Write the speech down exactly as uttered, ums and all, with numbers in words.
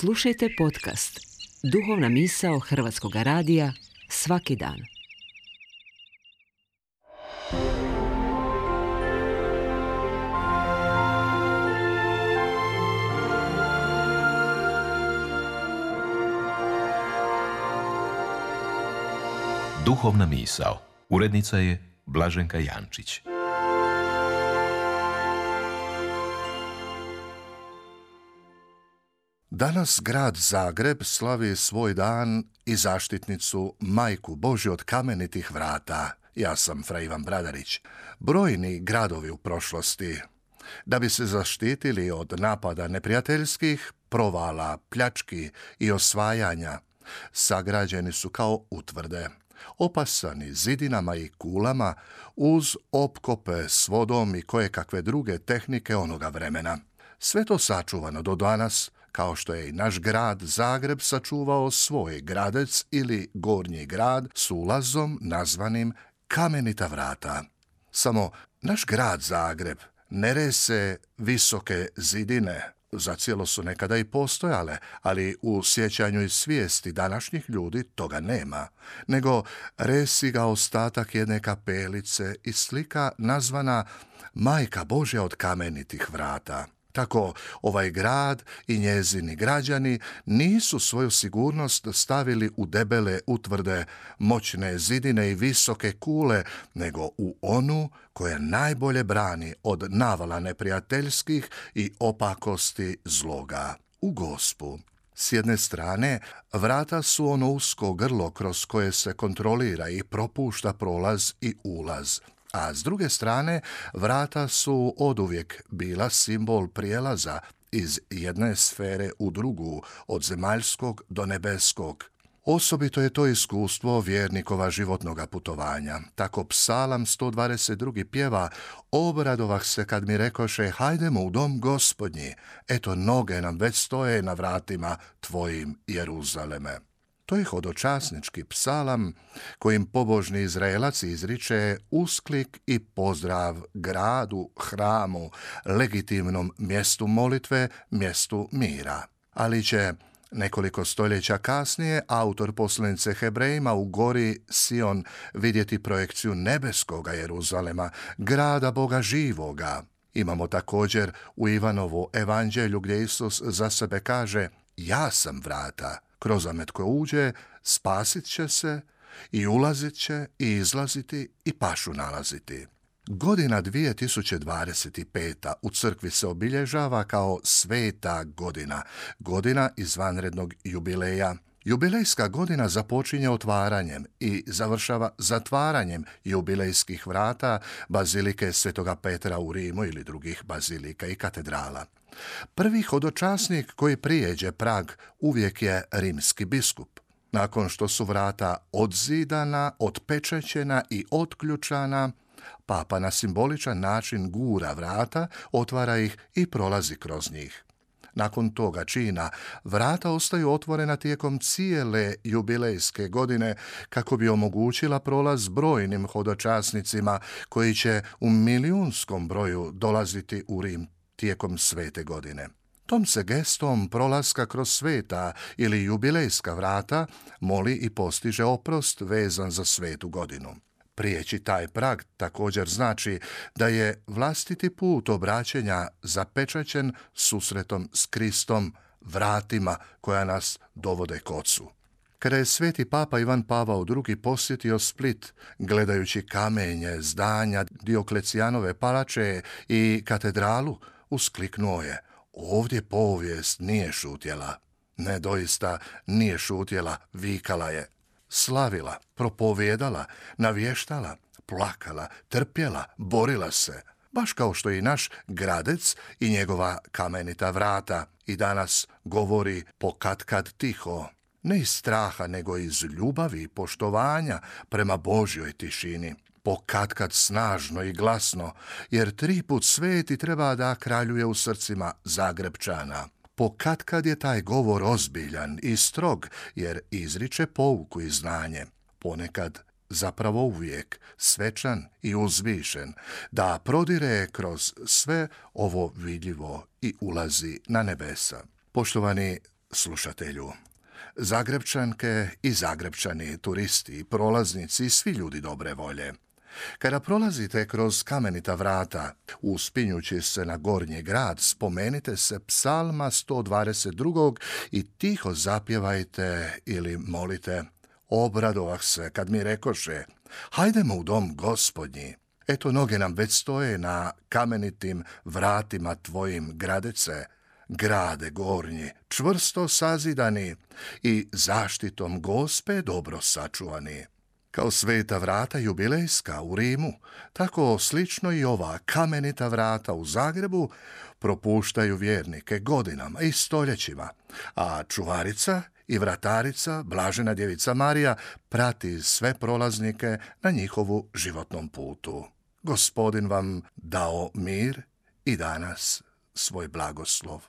Slušajte podcast Duhovna misao Hrvatskog radija svaki dan. Duhovna misao. Urednica je Blaženka Jančić. Danas grad Zagreb slavi svoj dan i zaštitnicu Majku Božju od kamenitih vrata. Ja sam Fra Ivan Bradarić. Brojni gradovi u prošlosti, da bi se zaštitili od napada neprijateljskih, provala, pljački i osvajanja, sagrađeni su kao utvrde, opasani zidinama i kulama uz opkope s vodom i kojekakve druge tehnike onoga vremena. Sve to sačuvano do danas, kao što je i naš grad Zagreb sačuvao svoj gradec ili gornji grad s ulazom nazvanim Kamenita vrata. Samo naš grad Zagreb ne rese visoke zidine, zacijelo su nekada i postojale, ali u sjećanju i svijesti današnjih ljudi toga nema, nego resi ga ostatak jedne kapelice i slika nazvana Majka Božja od kamenitih vrata. Tako ovaj grad i njezini građani nisu svoju sigurnost stavili u debele utvrde, moćne zidine i visoke kule, nego u onu koja najbolje brani od navala neprijateljskih i opakosti zloga, u Gospu. S jedne strane, vrata su ono usko grlo kroz koje se kontrolira i propušta prolaz i ulaz, a s druge strane, vrata su oduvijek bila simbol prijelaza iz jedne sfere u drugu, od zemaljskog do nebeskog. Osobito je to iskustvo vjernikova životnoga putovanja. Tako Psalam sto dvadeset dva pjeva: obradovah se kad mi rekoše, hajdemo u dom Gospodnji, eto noge nam već stoje na vratima tvojim, Jeruzaleme. To je hodočasnički psalam kojim pobožni Izraelac izriče usklik i pozdrav gradu, hramu, legitimnom mjestu molitve, mjestu mira. Ali će nekoliko stoljeća kasnije autor poslanice Hebrejima u gori Sion vidjeti projekciju nebeskoga Jeruzalema, grada Boga živoga. Imamo također u Ivanovu evanđelju gdje Isus za sebe kaže: ja sam vrata. Kroz amet ko uđe, spasit će se i ulazit će i izlaziti i pašu nalaziti. Godina dvije tisuće dvadeset peta u crkvi se obilježava kao sveta godina, godina izvanrednog jubileja. Jubilejska godina započinje otvaranjem i završava zatvaranjem jubilejskih vrata bazilike Svetoga Petra u Rimu ili drugih bazilika i katedrala. Prvi hodočasnik koji prijeđe prag uvijek je rimski biskup. Nakon što su vrata odzidana, otpečećena i otključana, papa na simboličan način gura vrata, otvara ih i prolazi kroz njih. Nakon toga čina vrata ostaju otvorena tijekom cijele jubilejske godine kako bi omogućila prolaz brojnim hodočasnicima koji će u milijunskom broju dolaziti u Rim tijekom svete godine. Tom se gestom prolaska kroz sveta ili jubilejska vrata moli i postiže oprost vezan za svetu godinu. Prijeći taj prag također znači da je vlastiti put obraćenja zapečaćen susretom s Kristom, vratima koja nas dovode k Ocu. Kada je sveti papa Ivan Pavao drugi posjetio Split, gledajući kamenje, zdanja Dioklecijanove palače i katedralu, uskliknuo je: ovdje povijest nije šutjela. Ne, doista nije šutjela, vikala je. Slavila, propovijedala, navještala, plakala, trpjela, borila se. Baš kao što i naš gradec i njegova kamenita vrata i danas govori pokatkad tiho. Ne iz straha, nego iz ljubavi i poštovanja prema Božjoj tišini. Pokatkad snažno i glasno, jer tri put sveti treba da kraljuje u srcima Zagrebčana. Pokatkad je taj govor ozbiljan i strog, jer izriče pouku i znanje. Ponekad, zapravo uvijek, svečan i uzvišen, da prodire kroz sve ovo vidljivo i ulazi na nebesa. Poštovani, slušatelju. Zagrebčanke i Zagrebčani, turisti, prolaznici i svi ljudi dobre volje. Kada prolazite kroz kamenita vrata, uspinjući se na gornji grad, spomenite se psalma sto dvadeset dva. i tiho zapjevajte ili molite: obradovah se kad mi rekoše, hajdemo u dom Gospodnji. Eto, noge nam već stoje na kamenitim vratima tvojim, gradece, grade gornji, čvrsto sazidani i zaštitom Gospe dobro sačuvani. Kao sveta vrata jubilejska u Rimu, tako slično i ova kamenita vrata u Zagrebu propuštaju vjernike godinama i stoljećima, a čuvarica i vratarica, blažena djevica Marija, prati sve prolaznike na njihovu životnom putu. Gospodin vam dao mir i danas svoj blagoslov.